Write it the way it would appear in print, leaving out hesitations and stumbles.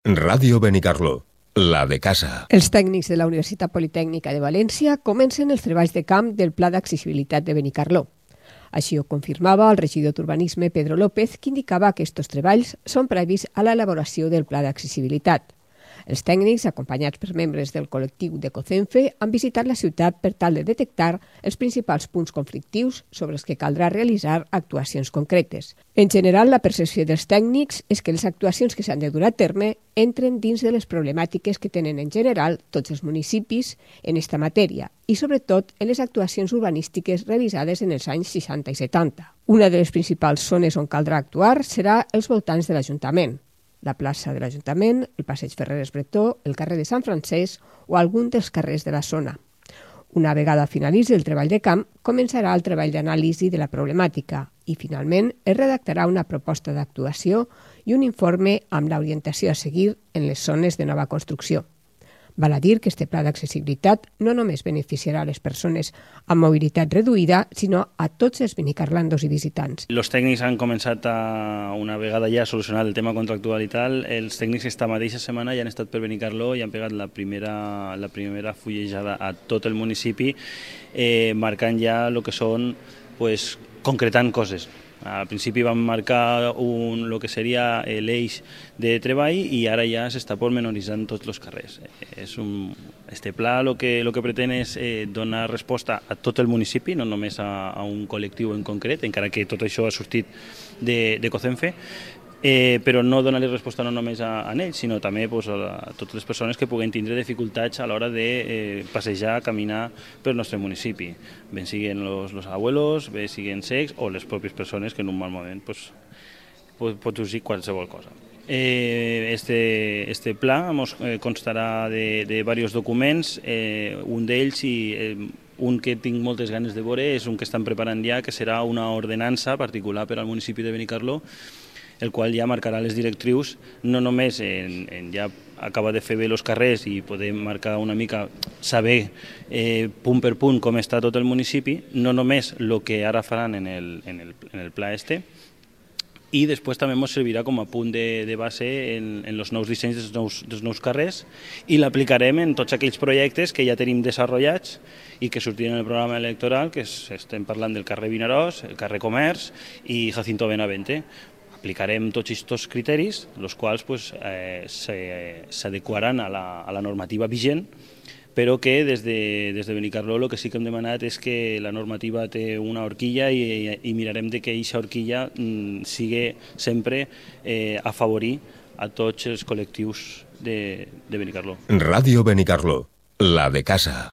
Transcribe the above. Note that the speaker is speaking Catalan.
Ràdio Benicarló, la de casa. Els tècnics de la Universitat Politècnica de València comencen els treballs de camp del Pla d'Accessibilitat de Benicarló. Així ho confirmava el regidor d'Urbanisme, Pedro López, que indicava que aquests treballs són previs a l'elaboració del Pla d'Accessibilitat. Els tècnics, acompanyats per membres del col·lectiu de COCENFE, han visitat la ciutat per tal de detectar els principals punts conflictius sobre els que caldrà realitzar actuacions concretes. En general, la percepció dels tècnics és que les actuacions que s'han de dur a terme entren dins de les problemàtiques que tenen en general tots els municipis en esta matèria i, sobretot, en les actuacions urbanístiques realitzades en els anys 60 i 70. Una de les principals zones on caldrà actuar serà els voltants de l'Ajuntament, la plaça de l'Ajuntament, el passeig Ferreres Bretó, el carrer de Sant Francesc o algun dels carrers de la zona. Una vegada finalitzi el treball de camp, començarà el treball d'anàlisi de la problemàtica i, finalment, es redactarà una proposta d'actuació i un informe amb l'orientació a seguir en les zones de nova construcció. Val a dir que este pla d'accessibilitat no només beneficiarà a les persones amb mobilitat reduïda, sinó a tots els benicarlandos i visitants. Els tècnics han començat una vegada ja a solucionar el tema contractual i tal. Els tècnics esta mateixa setmana ja han estat per Benicarló i han pegat la primera fullejada a tot el municipi, marcant ja el que són, concretant coses. Al principi vam marcar el que seria l'eix de treball i ara ja s'està pormenoritzant tots els carrers. Este pla el que pretén és donar resposta a tot el municipi, no només a un col·lectiu en concret, encara que tot això ha sortit de COCENFE, però no donar-li resposta no només a ells, sinó també a totes les persones que puguen tindre dificultats a l'hora de passejar, caminar pel nostre municipi, ben siguin els abuelos, ben siguin cecs o les pròpies persones que en un mal moment pot sorgir qualsevol cosa. Este pla constarà de diversos documents, un d'ells un que tinc moltes ganes de veure és un que estan preparant ja, que serà una ordenança particular per al municipi de Benicarló, el qual ja marcarà les directrius, no només en ja acabar de fer bé els carrers i poder marcar una mica, saber punt per punt com està tot el municipi, no només el que ara faran en el pla este, i després també ens servirà com a punt de base en els nous dissenys dels nous carrers i l'aplicarem en tots aquells projectes que ja tenim desenvolupats i que sortiran en el programa electoral, que estem parlant del carrer Vinaròs, el carrer Comerç i Jacinto Benavente. Aplicarem tots aquests criteris, els quals s'adequaran a la normativa vigent, però que des de Benicarló el que sí que hem demanat és que la normativa té una horquilla i mirarem que aquesta horquilla sigui sempre afavorir a tots els col·lectius de Benicarló. Ràdio Benicarló, la de casa.